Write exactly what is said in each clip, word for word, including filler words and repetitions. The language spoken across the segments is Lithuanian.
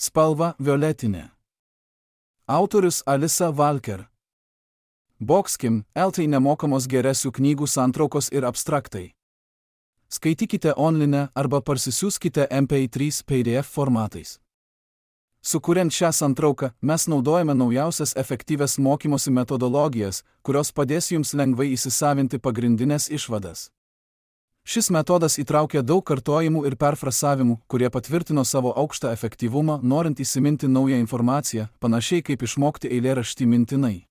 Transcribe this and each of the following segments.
Spalva violetinė. Autorius Alisa Walker. Boxkim, eltai nemokamos geresių knygų santraukos ir abstraktai. Skaitykite online arba parsisiųskite M P trys P D F formatais. Sukuriant šią santrauką, mes naudojame naujausias efektyvias mokymosi metodologijas, kurios padės jums lengvai įsisavinti pagrindinės išvadas. Šis metodas įtraukia daug kartojimų ir perfrasavimų, kurie patvirtino savo aukštą efektyvumą, norint įsiminti naują informaciją, panašiai kaip išmokti eilėraštį mintinai.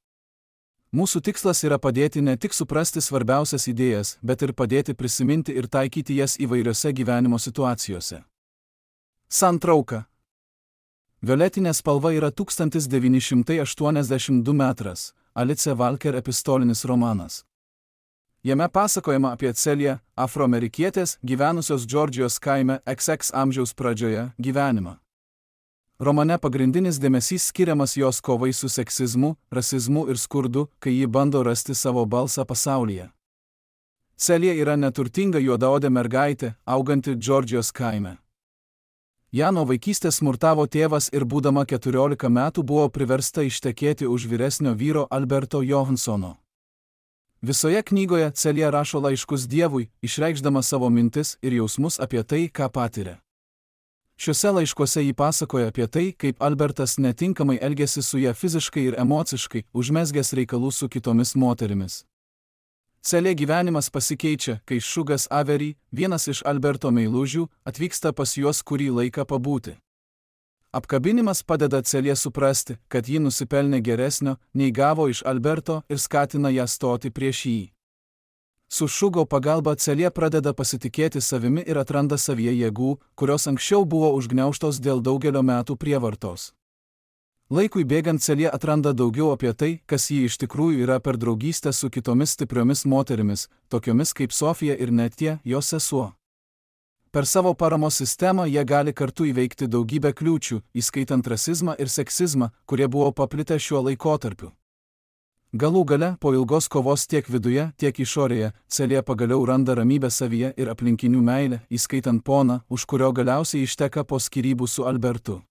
Mūsų tikslas yra padėti ne tik suprasti svarbiausias idėjas, bet ir padėti prisiminti ir taikyti jas įvairiose gyvenimo situacijose. Santrauka. Violetinė spalva yra tūkstantis devyni šimtai aštuoniasdešimt du metras, Alice Walker epistolinis romanas. Jame pasakojama apie Celiją, afroamerikietės, gyvenusios Džordžijos kaime X X amžiaus pradžioje, gyvenimą. Romane pagrindinis dėmesys skiriamas jos kovai su seksizmu, rasizmu ir skurdu, kai ji bando rasti savo balsą pasaulyje. Celija yra neturtinga juodaodė mergaitė, auganti Džordžijos kaime. Ją nuo vaikystės smurtavo tėvas ir būdama keturiolika metų buvo priversta ištekėti už vyresnio vyro Alberto Johansono. Visoje knygoje Celija rašo laiškus Dievui, išreikšdama savo mintis ir jausmus apie tai, ką patiria. Šiuose laiškuose ji pasakoja apie tai, kaip Albertas netinkamai elgėsi su ja fiziškai ir emociškai, užmezgęs reikalų su kitomis moterimis. Celija gyvenimas pasikeičia, kai Šugas Avery, vienas iš Alberto meilužių, atvyksta pas juos kurį laiką pabūti. Apkabinimas padeda Celija suprasti, kad ji nusipelnė geresnio, nei gavo iš Alberto ir skatina ją stoti prieš jį. Su Šugo pagalba Celija pradeda pasitikėti savimi ir atranda savyje jėgų, kurios anksčiau buvo užgniaužtos dėl daugelio metų prievartos. Laikui bėgant Celija atranda daugiau apie tai, kas ji iš tikrųjų yra per draugystę su kitomis stipriomis moterimis, tokiomis kaip Sofija ir Netija, jos sesuo. Per savo paramos sistemą jie gali kartu įveikti daugybę kliūčių, įskaitant rasizmą ir seksizmą, kurie buvo paplitę šiuo laikotarpiu. Galų gale, po ilgos kovos tiek viduje, tiek išorėje, Celija pagaliau randa ramybę savyje ir aplinkinių meilę, įskaitant poną, už kurio galiausiai išteka po skyrybų su Albertu.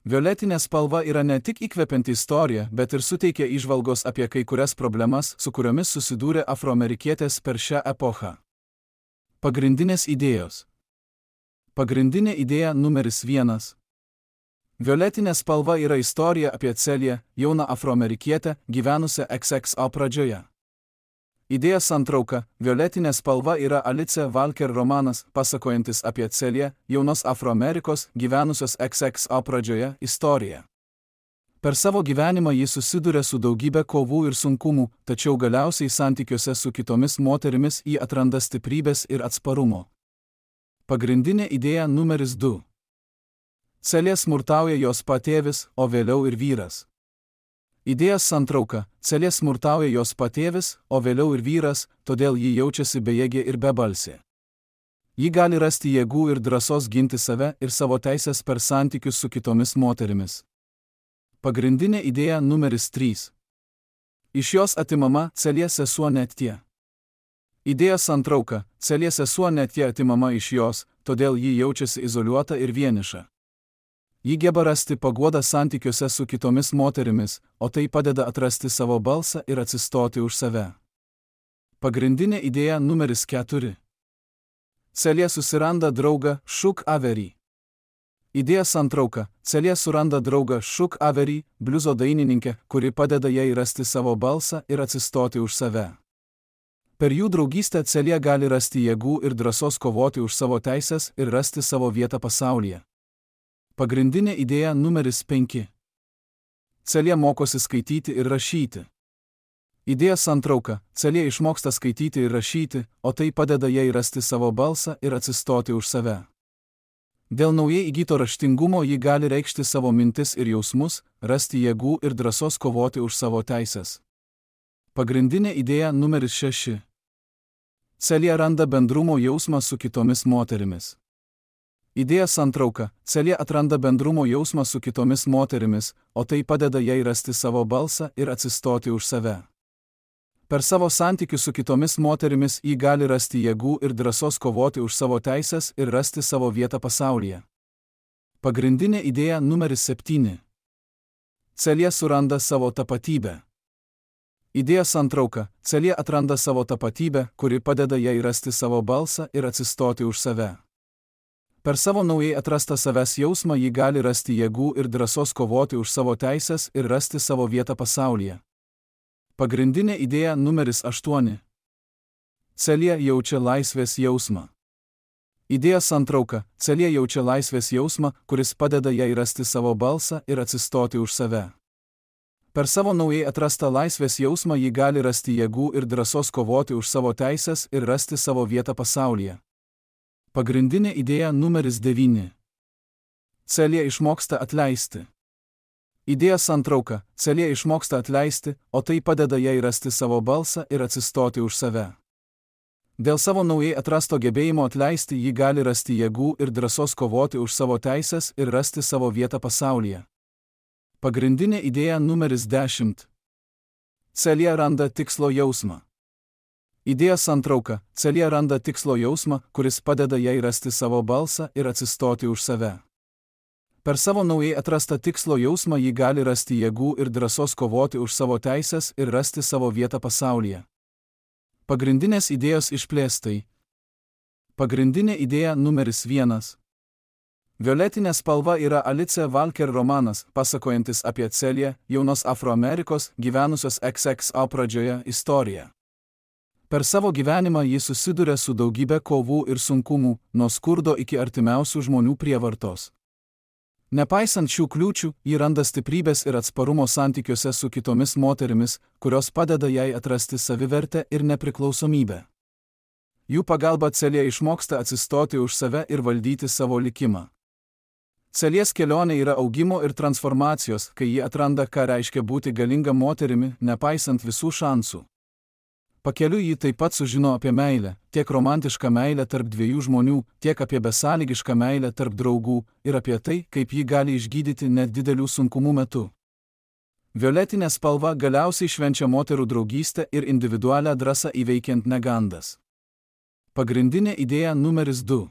Violetinė spalva yra ne tik įkvepianti istorija, bet ir suteikia įžvalgos apie kai kurias problemas, su kuriomis susidūrė afroamerikietės per šią epochą. Pagrindinės idėjos. Pagrindinė idėja numeris vienas. Violetinė spalva yra istorija apie Celiją, jauną afroamerikietę, gyvenusią X X O pradžioje. Idėja santrauka. Violetinė spalva yra Alice Walker romanas, pasakojantis apie Celiją, jaunos Afroamerikos, gyvenusios X X O pradžioje, istoriją. Per savo gyvenimą ji susiduria su daugybė kovų ir sunkumų, tačiau galiausiai santykiuose su kitomis moterimis ji atranda stiprybės ir atsparumo. Pagrindinė idėja numeris du. Celija smurtauja jos patėvis, o vėliau ir vyras. Idėja santrauka. Celija smurtauja jos patėvis, o vėliau ir vyras, todėl ji jaučiasi bejėgė ir bebalsė. Ji gali rasti jėgų ir drąsos ginti save ir savo teisės per santykius su kitomis moterimis. Pagrindinė idėja numeris trys. Iš jos atimama Celija sesuo Netija. Idėja santrauka. Celija sesuo Netija atimama iš jos, todėl ji jaučiasi izoliuota ir vieniša. Ji geba rasti paguodą santykiuose su kitomis moterimis, o tai padeda atrasti savo balsą ir atsistoti už save. Pagrindinė idėja numeris keturi. Celija susiranda draugą Šug Avery. Idėja santrauka. Celija suranda draugą Šug Avery, bliuzo dainininkę, kuri padeda jai rasti savo balsą ir atsistoti už save. Per jų draugystę Celija gali rasti jėgų ir drąsos kovoti už savo teisės ir rasti savo vietą pasaulyje. Pagrindinė idėja numeris penki. Celija mokosi skaityti ir rašyti. Idėja santrauka. Celija išmoksta skaityti ir rašyti, o tai padeda jai rasti savo balsą ir atsistoti už save. Dėl naujai įgyto raštingumo ji gali reikšti savo mintis ir jausmus, rasti jėgų ir drąsos kovoti už savo teisės. Pagrindinė idėja numeris šeši. Celija randa bendrumo jausmą su kitomis moterimis. Idėja santrauka. Celija atranda bendrumo jausmą su kitomis moterimis, o tai padeda jai rasti savo balsą ir atsistoti už save. Per savo santykius su kitomis moterimis ji gali rasti jėgų ir drąsos kovoti už savo teisės ir rasti savo vietą pasaulyje. Pagrindinė idėja numeris septyni. Celė suranda savo tapatybę. Idėjos santrauka. Celė atranda savo tapatybę, kuri padeda jai rasti savo balsą ir atsistoti už save. Per savo naujai atrastą savęs jausmą ji gali rasti jėgų ir drąsos kovoti už savo teisės ir rasti savo vietą pasaulyje. Pagrindinė idėja numeris aštuoni. Celė jaučia laisvės jausmą. Idėjos santrauka. Celė jaučia laisvės jausmą, kuris padeda jai rasti savo balsą ir atsistoti už save. Per savo naujai atrastą laisvės jausmą ji gali rasti jėgų ir drąsos kovoti už savo teisės ir rasti savo vietą pasaulyje. Pagrindinė idėja numeris devyni. Celė išmoksta atleisti. Idėjos santrauka. Celė išmoksta atleisti, o tai padeda jai rasti savo balsą ir atsistoti už save. Dėl savo naujai atrasto gebėjimo atleisti ji gali rasti jėgų ir drąsos kovoti už savo teisės ir rasti savo vietą pasaulyje. Pagrindinė idėja numeris dešimt. Celė randa tikslo jausmą. Idėjos santrauka. Celė randa tikslo jausmą, kuris padeda jai rasti savo balsą ir atsistoti už save. Per savo naujai atrastą tikslo jausmą ji gali rasti jėgų ir drąsos kovoti už savo teisės ir rasti savo vietą pasaulyje. Pagrindinės idėjos išplėstai. Pagrindinė idėja numeris vienas. Violetinė spalva yra Alice Walker romanas, pasakojantis apie Celę, jaunos Afroamerikos, gyvenusios X X O pradžioje, istoriją. Per savo gyvenimą ji susiduria su daugybė kovų ir sunkumų, nuo skurdo iki artimiausių žmonių prievartos. Nepaisant šių kliūčių, ji randa stiprybės ir atsparumo santykiuose su kitomis moterimis, kurios padeda jai atrasti savivertę ir nepriklausomybę. Jų pagalba Celė išmoksta atsistoti už save ir valdyti savo likimą. Celės kelionė yra augimo ir transformacijos, kai ji atranda, ką reiškia būti galinga moterimi, nepaisant visų šansų. Pakeliui ji taip pat sužino apie meilę, tiek romantišką meilę tarp dviejų žmonių, tiek apie besąlygišką meilę tarp draugų ir apie tai, kaip ji gali išgydyti net didelių sunkumų metu. Violetinė spalva galiausiai švenčia moterų draugystę ir individualią drąsą įveikiant negandas. Pagrindinė idėja numeris du.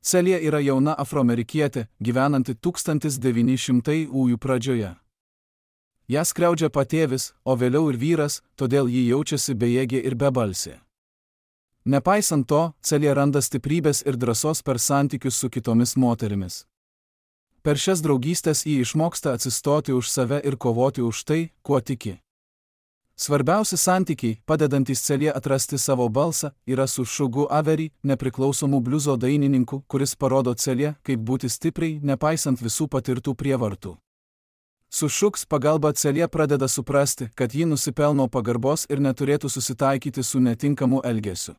Celė yra jauna afroamerikietė, gyvenanti tūkstantis devyni šimtųjų pradžioje. Ją skriaudžia patėvis, o vėliau ir vyras, todėl ji jaučiasi bejėgė ir bebalsė. Nepaisant to, Celė randa stiprybės ir drąsos per santykius su kitomis moterimis. Per šias draugystės ji išmoksta atsistoti už save ir kovoti už tai, kuo tiki. Svarbiausi santykiai, padedantys Celė atrasti savo balsą, yra su Sugu Avery, nepriklausomu bliuzo dainininku, kuris parodo Celė, kaip būti stipriai, nepaisant visų patirtų prievartų. Su Sugs pagalba Celė pradeda suprasti, kad ji nusipelno pagarbos ir neturėtų susitaikyti su netinkamu elgesiu.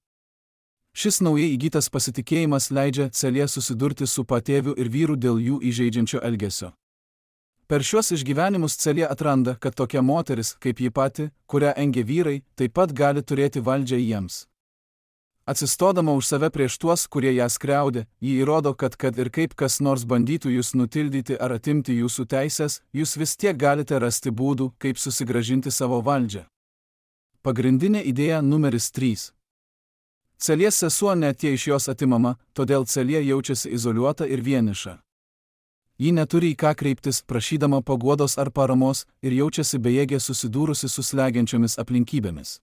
Šis naujai įgytas pasitikėjimas leidžia Celė susidurti su patėviu ir vyru dėl jų įžeidžiančio elgesio. Per šiuos išgyvenimus Celė atranda, kad tokia moteris, kaip ji pati, kurią engia vyrai, taip pat gali turėti valdžią jiems. Atsistodama už save prieš tuos, kurie ją skriaudė, ji įrodo, kad kad ir kaip kas nors bandytų jūs nutildyti ar atimti jūsų teisės, jūs vis tiek galite rasti būdų, kaip susigrąžinti savo valdžią. Pagrindinė idėja numeris trys. Celės sesuo net jei iš jos atimama, todėl Celė jaučiasi izoliuota ir vieniša. Ji neturi į ką kreiptis, prašydama paguodos ar paramos, ir jaučiasi bejėgė susidūrusi su slegiančiomis aplinkybėmis.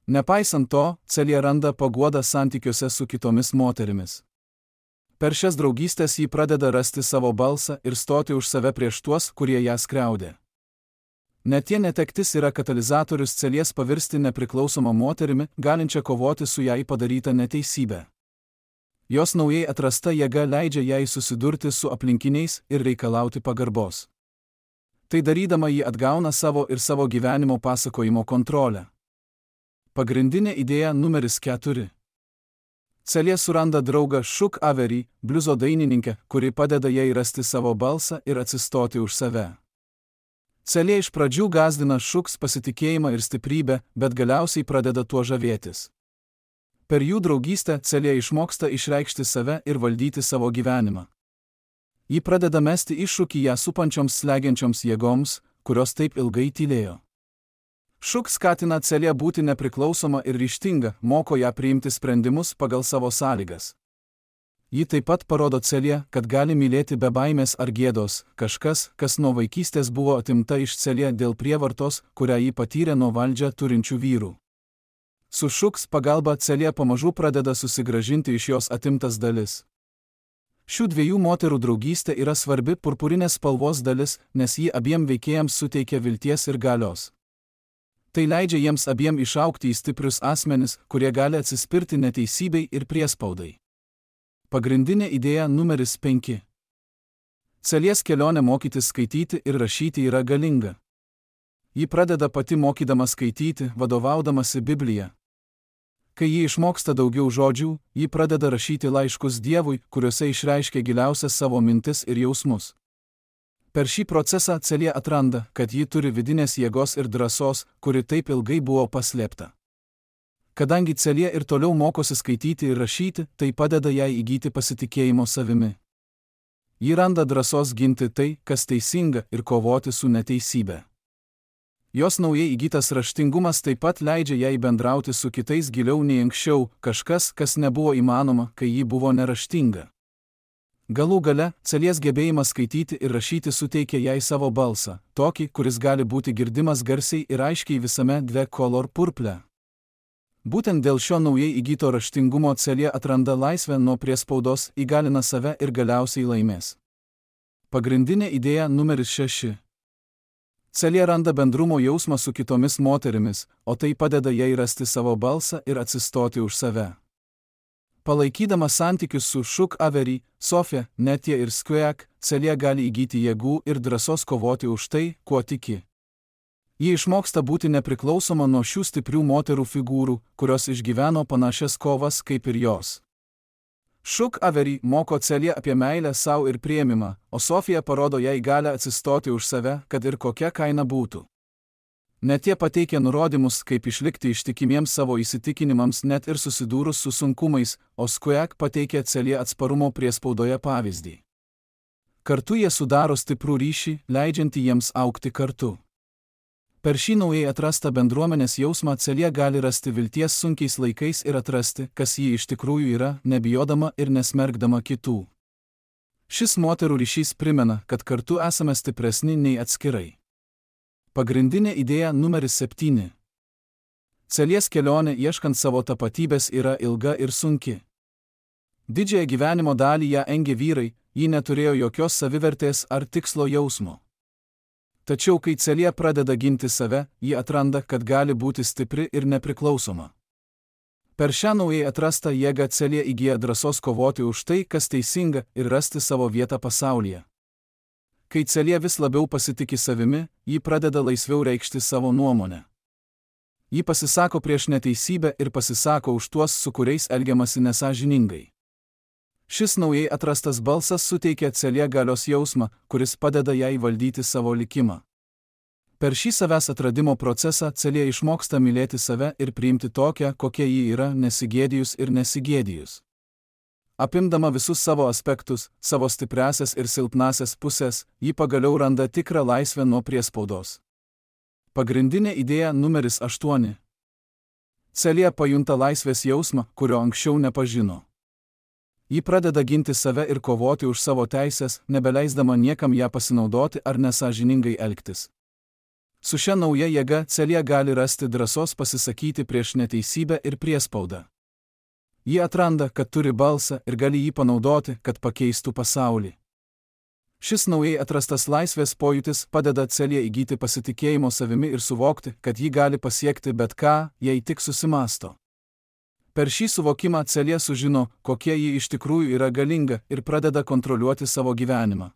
Nepaisant to, Celė randa paguodą santykiuose su kitomis moterimis. Per šias draugystės ji pradeda rasti savo balsą ir stoti už save prieš tuos, kurie ją skriaudė. Net jei netektis yra katalizatorius Celės pavirsti nepriklausomą moterimi, galinčią kovoti su jai padaryta neteisybė. Jos naujai atrasta jėga leidžia jai susidurti su aplinkiniais ir reikalauti pagarbos. Tai darydama ji atgauna savo ir savo gyvenimo pasakojimo kontrolę. Pagrindinė idėja numeris keturi. Celė suranda draugą Sugu Avery, bliuzo dainininkę, kuri padeda jai rasti savo balsą ir atsistoti už save. Celė iš pradžių gąsdina Sugs pasitikėjimą ir stiprybę, bet galiausiai pradeda tuo žavėtis. Per jų draugystę Celė išmoksta išreikšti save ir valdyti savo gyvenimą. Ji pradeda mesti iššūkį ją supančioms slegiančioms jėgoms, kurios taip ilgai tylėjo. Sugu skatina Celė būti nepriklausoma ir ryžtinga, moko ją priimti sprendimus pagal savo sąlygas. Ji taip pat parodo Celija, kad gali mylėti be baimės ar gėdos, kažkas, kas nuo vaikystės buvo atimta iš Celija dėl prievartos, kurią ji patyrė nuo valdžią turinčių vyrų. Su Šuks pagalba Celija pamažu pradeda susigrąžinti iš jos atimtas dalis. Šių dviejų moterų draugystė yra svarbi purpurinės spalvos dalis, nes ji abiem veikėjams suteikia vilties ir galios. Tai leidžia jiems abiem išaugti į stiprius asmenis, kurie gali atsispirti neteisybei ir priespaudai. Pagrindinė idėja numeris penki. Celijos kelionė mokytis skaityti ir rašyti yra galinga. Ji pradeda pati mokydama skaityti, vadovaudamasi Biblija. Kai ji išmoksta daugiau žodžių, ji pradeda rašyti laiškus Dievui, kuriuose išreiškia giliausias savo mintis ir jausmus. Per šį procesą Celija atranda, kad ji turi vidinės jėgos ir drąsos, kuri taip ilgai buvo paslėpta. Kadangi Celija ir toliau mokosi skaityti ir rašyti, tai padeda jai įgyti pasitikėjimo savimi. Ji randa drąsos ginti tai, kas teisinga, ir kovoti su neteisybė. Jos naujai įgytas raštingumas taip pat leidžia jai bendrauti su kitais giliau nei anksčiau, kažkas, kas nebuvo įmanoma, kai ji buvo neraštinga. Galų gale, Celijos gebėjimas skaityti ir rašyti suteikia jai savo balsą, tokį, kuris gali būti girdimas garsiai ir aiškiai visame Dve Color Purple. Būtent dėl šio naujai įgyto raštingumo Celija atranda laisvę nuo priespaudos, įgalina save ir galiausiai laimės. Pagrindinė idėja numeris šeši. Celija randa bendrumo jausmą su kitomis moterimis, o tai padeda jai rasti savo balsą ir atsistoti už save. Palaikydama santykius su Šuk Avery, Sofija, Netija ir Squeak, Celija gali įgyti jėgų ir drąsos kovoti už tai, kuo tiki. Ji išmoksta būti nepriklausoma nuo šių stiprių moterų figūrų, kurios išgyveno panašias kovas kaip ir jos. Šuk Avery moko Celiją apie meilę savo ir priėmimą, o Sofija parodo jai galią atsistoti už save, kad ir kokia kaina būtų. Net jie pateikia nurodymus, kaip išlikti ištikimiems savo įsitikinimams net ir susidūrus su sunkumais, o Squeak pateikia Celiją atsparumo priespaudoje pavyzdį. Kartu jie sudaro stiprų ryšį, leidžiantį jiems augti kartu. Per šį naujai atrastą bendruomenės jausmą Celija gali rasti vilties sunkiais laikais ir atrasti, kas ji iš tikrųjų yra, nebijodama ir nesmergdama kitų. Šis moterų ryšys primena, kad kartu esame stipresni nei atskirai. Pagrindinė idėja numeris septyni. Celijos kelionė ieškant savo tapatybės yra ilga ir sunki. Didžiąją gyvenimo dalį ją engė vyrai, ji neturėjo jokios savivertės ar tikslo jausmo. Tačiau kai Celija pradeda ginti save, ji atranda, kad gali būti stipri ir nepriklausoma. Per šią naujai atrastą jėgą Celija įgyja drąsos kovoti už tai, kas teisinga, ir rasti savo vietą pasaulyje. Kai Celija vis labiau pasitiki savimi, ji pradeda laisviau reikšti savo nuomonę. Ji pasisako prieš neteisybę ir pasisako už tuos, su kuriais elgiamasi nesąžiningai. Šis naujai atrastas balsas suteikia Celija galios jausmą, kuris padeda jai valdyti savo likimą. Per šį savęs atradimo procesą Celija išmoksta mylėti save ir priimti tokią, kokia ji yra, nesigėdijus ir nesigėdijus. Apimdama visus savo aspektus, savo stipriasias ir silpnasias pusės, ji pagaliau randa tikrą laisvę nuo priespaudos. Pagrindinė idėja numeris aštuoni. Celija pajunta laisvės jausmą, kurio anksčiau nepažino. Ji pradeda ginti save ir kovoti už savo teisės, nebeleisdama niekam ją pasinaudoti ar nesąžiningai elgtis. Su šia nauja jėga Celija gali rasti drąsos pasisakyti prieš neteisybę ir priespaudą. Ji atranda, kad turi balsą ir gali jį panaudoti, kad pakeistų pasaulį. Šis naujai atrastas laisvės pojūtis padeda Celija įgyti pasitikėjimo savimi ir suvokti, kad ji gali pasiekti bet ką, jei tik susimąsto. Per šį suvokimą Celija sužino, kokia ji iš tikrųjų yra galinga ir pradeda kontroliuoti savo gyvenimą.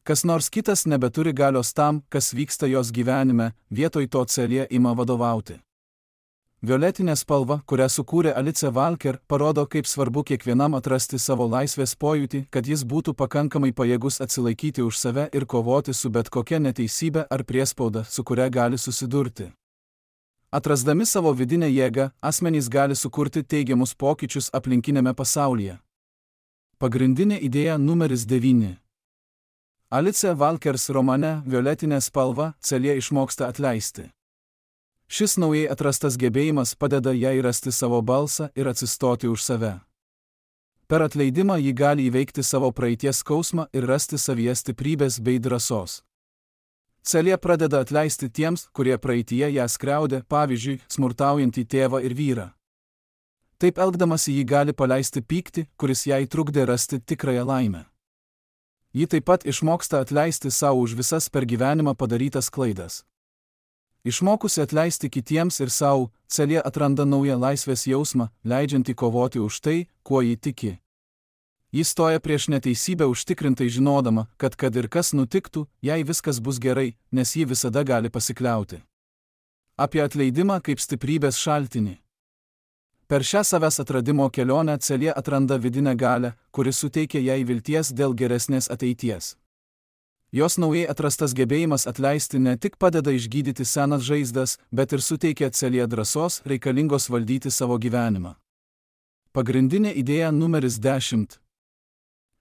Kas nors kitas nebeturi galios tam, kas vyksta jos gyvenime, vietoj to Celija ima vadovauti. Violetinė spalva, kurią sukūrė Alice Walker, parodo, kaip svarbu kiekvienam atrasti savo laisvės pojūtį, kad jis būtų pakankamai pajėgus atsilaikyti už save ir kovoti su bet kokia neteisybė ar priespauda, su kuria gali susidurti. Atrasdami savo vidinę jėgą, asmenys gali sukurti teigiamus pokyčius aplinkinėme pasaulyje. Pagrindinė idėja numeris devyni. Alice Walkers romane Violetinė spalva Celija išmoksta atleisti. Šis naujai atrastas gebėjimas padeda jai rasti savo balsą ir atsistoti už save. Per atleidimą ji gali įveikti savo praeities skausmą ir rasti savyje stiprybės bei drąsos. Celė pradeda atleisti tiems, kurie praeitie ją skriaudė, pavyzdžiui, smurtaujantį tėvą ir vyrą. Taip elgdamasi ji gali paleisti pyktį, kuris jai trukdė rasti tikrąją laimę. Ji taip pat išmoksta atleisti savo už visas per gyvenimą padarytas klaidas. Išmokusi atleisti kitiems ir savo, Celė atranda naują laisvės jausmą, leidžiantį kovoti už tai, kuo ji tiki. Ji stoja prieš neteisybę užtikrintai žinodama, kad kad ir kas nutiktų, jai viskas bus gerai, nes ji visada gali pasikliauti. Apie atleidimą kaip stiprybės šaltinį. Per šią savęs atradimo kelionę Celė atranda vidinę galią, kuri suteikia jai vilties dėl geresnės ateities. Jos naujai atrastas gebėjimas atleisti ne tik padeda išgydyti senas žaizdas, bet ir suteikia Celė drąsos reikalingos valdyti savo gyvenimą. Pagrindinė idėja numeris dešimt.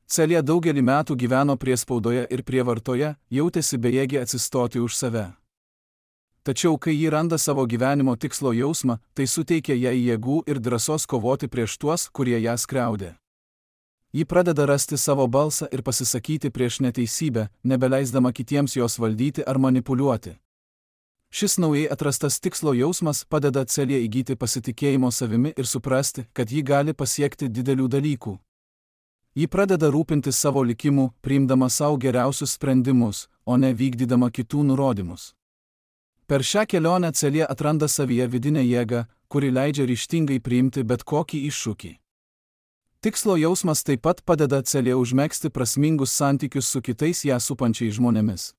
Celė daugelį metų gyveno priespaudoje ir prievartoje, jautėsi bejėgė atsistoti už save. Tačiau kai ji randa savo gyvenimo tikslo jausmą, tai suteikia jai jėgų ir drąsos kovoti prieš tuos, kurie ją skriaudė. Ji pradeda rasti savo balsą ir pasisakyti prieš neteisybę, nebeleisdama kitiems jos valdyti ar manipuliuoti. Šis naujai atrastas tikslo jausmas padeda Celė įgyti pasitikėjimo savimi ir suprasti, kad ji gali pasiekti didelių dalykų. Ji pradeda rūpintis savo likimu, priimdama savo geriausius sprendimus, o ne vykdydama kitų nurodymus. Per šią kelionę Celė atranda savyje vidinę jėgą, kuri leidžia ryžtingai priimti bet kokį iššūkį. Tikslo jausmas taip pat padeda Celė užmegzti prasmingus santykius su kitais ją supančiais žmonėmis.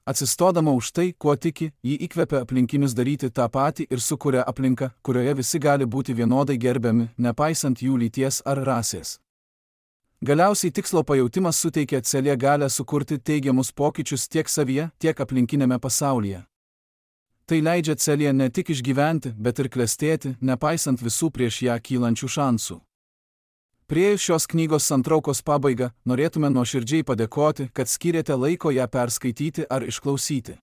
Atsistodama už tai, kuo tiki, ji įkvepia aplinkinius daryti tą patį ir sukuria aplinką, kurioje visi gali būti vienodai gerbiami, nepaisant jų lyties ar rasės. Galiausiai tikslo pajautimas suteikia Celė galią sukurti teigiamus pokyčius tiek savyje, tiek aplinkinėme pasaulyje. Tai leidžia Celė ne tik išgyventi, bet ir klestėti, nepaisant visų prieš ją kylančių šansų. Priėjus šios knygos santraukos pabaigą, norėtume nuoširdžiai padėkoti, kad skyrėte laiko ją perskaityti ar išklausyti.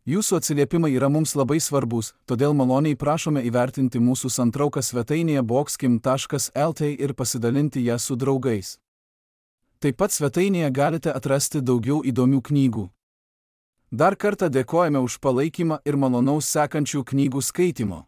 Jūsų atsiliepimai yra mums labai svarbus, todėl maloniai prašome įvertinti mūsų santrauką svetainėje boxkim taškas lt ir pasidalinti ją su draugais. Taip pat svetainėje galite atrasti daugiau įdomių knygų. Dar kartą dėkojame už palaikymą ir malonaus sekančių knygų skaitimo.